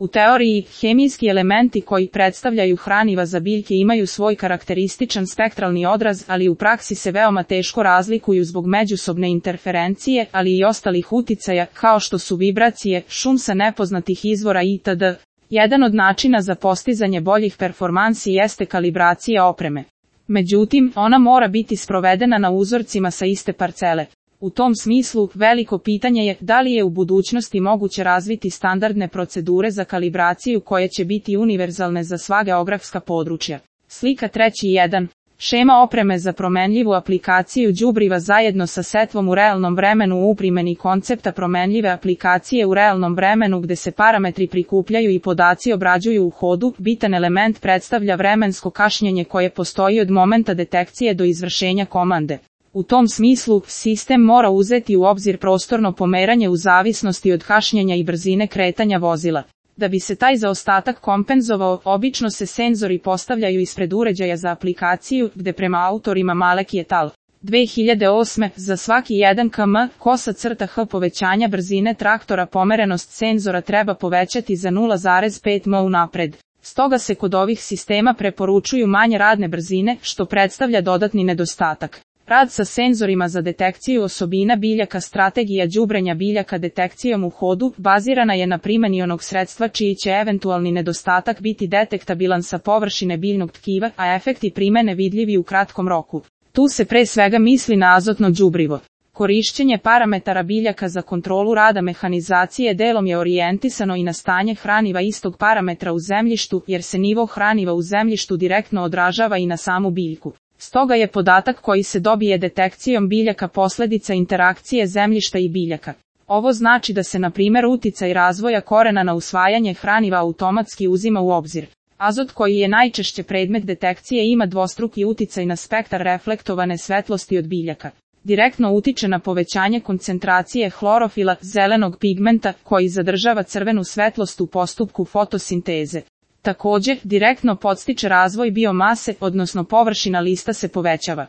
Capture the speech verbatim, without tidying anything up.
U teoriji, hemijski elementi koji predstavljaju hraniva za biljke imaju svoj karakterističan spektralni odraz, ali u praksi se veoma teško razlikuju zbog međusobne interferencije, ali i ostalih uticaja, kao što su vibracije, šum sa nepoznatih izvora itd. Jedan od načina za postizanje boljih performansi jeste kalibracija opreme. Međutim, ona mora biti sprovedena na uzorcima sa iste parcele. U tom smislu, veliko pitanje je da li je u budućnosti moguće razviti standardne procedure za kalibraciju koje će biti univerzalne za sva geografska područja. Slika treći jedan. Šema opreme za promenljivu aplikaciju đubriva zajedno sa setvom u realnom vremenu u primjeni koncepta promenljive aplikacije u realnom vremenu gde se parametri prikupljaju i podaci obrađuju u hodu. Bitan element predstavlja vremensko kašnjenje koje postoji od momenta detekcije do izvršenja komande. U tom smislu, sistem mora uzeti u obzir prostorno pomeranje u zavisnosti od kašnjenja i brzine kretanja vozila. Da bi se taj zaostatak kompenzovao, obično se senzori postavljaju ispred uređaja za aplikaciju, gde prema autorima Malek et al. dve hiljade osme za svaki jedan kilometar kosa crta h povećanja brzine traktora pomerenost senzora treba povećati za nula zarez pet milimetra unapred. Stoga se kod ovih sistema preporučuju manje radne brzine, što predstavlja dodatni nedostatak. Rad sa senzorima za detekciju osobina biljaka. Strategija đubrenja biljaka detekcijom u hodu bazirana je na primjeni onog sredstva čiji će eventualni nedostatak biti detektabilan sa površine biljnog tkiva, a efekti primjene vidljivi u kratkom roku. Tu se pre svega misli na azotno đubrivo. Korišćenje parametara biljaka za kontrolu rada mehanizacije delom je orijentisano i na stanje hraniva istog parametra u zemljištu, jer se nivo hraniva u zemljištu direktno odražava i na samu biljku. Stoga je podatak koji se dobije detekcijom biljaka posljedica interakcije zemljišta i biljaka. Ovo znači da se na primjer uticaj razvoja korena na usvajanje hraniva automatski uzima u obzir. Azot koji je najčešće predmet detekcije ima dvostruki uticaj na spektar reflektovane svetlosti od biljaka. Direktno utiče na povećanje koncentracije hlorofila, zelenog pigmenta, koji zadržava crvenu svetlost u postupku fotosinteze. Također, direktno podstiče razvoj biomase, odnosno površina lista se povećava.